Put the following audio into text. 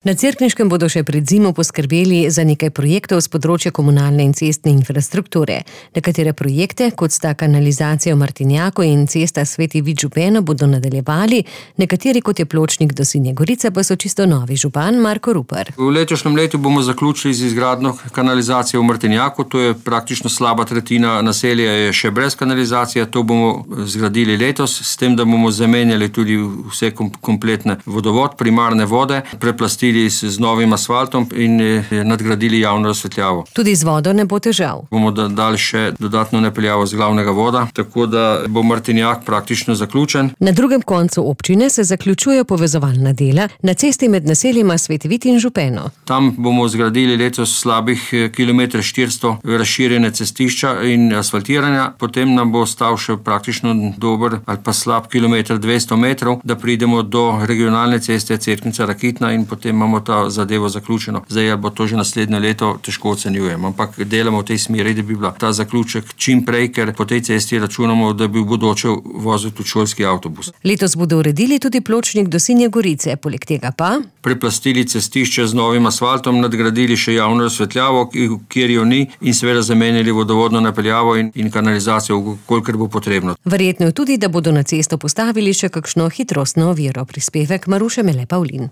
Na Cerkniškem bodo še pred zimo poskrbeli za nekaj projektov z področja komunalne in cestne infrastrukture. Nekatere projekte, kot sta kanalizacija v Martinjaku in cesta Sveti Vid Župeno, bodo nadaljevali, nekateri, kot je pločnik do Sinje Gorice, pa so čisto novi. Župan Marko Rupar. V letošnjem letu bomo zaključili z izgradnjo kanalizacije v Martinjaku. To je praktično slaba tretjina naselja je še brez kanalizacije. To bomo zgradili letos, s tem, da bomo zamenjali tudi vse kompletne vodovod, primarne vode, preplastili z novim asfaltom in nadgradili javno razsvetljavo. Tudi z vodo ne bo težav. Bomo dali še dodatno napeljavo z glavnega voda, tako da bo Martinjak praktično zaključen. Na drugem koncu občine se zaključujejo povezovalna dela na cesti med naseljima Sveti Vid in Župeno. Tam bomo zgradili letos slabih kilometer 400 razširjene cestišča in asfaltiranja, potem nam bo ostal še praktično dober ali pa slab kilometer 200 metrov, da pridemo do regionalne ceste Cerknica-Rakitna in potem imamo ta zadevo zaključeno. Zdaj bo to že naslednje leto, težko ocenjujem, ampak delamo v tej smeri, da bi bila ta zaključek čim prej, ker po tej cesti računamo, da bi v bodoče vozil tudi šolski avtobus. Letos bodo uredili tudi pločnik do Sinje Gorice, poleg tega pa preplastili cestišče z novim asfaltom, nadgradili še javno razsvetljavo, kjer jo ni, in seveda zamenjali vodovodno napeljavo in kanalizacijo, kolikor bo potrebno. Verjetno je tudi, da bodo na cesto postavili še kakšno hitrostno oviro. Prispevek Maruše Mele Pavlin.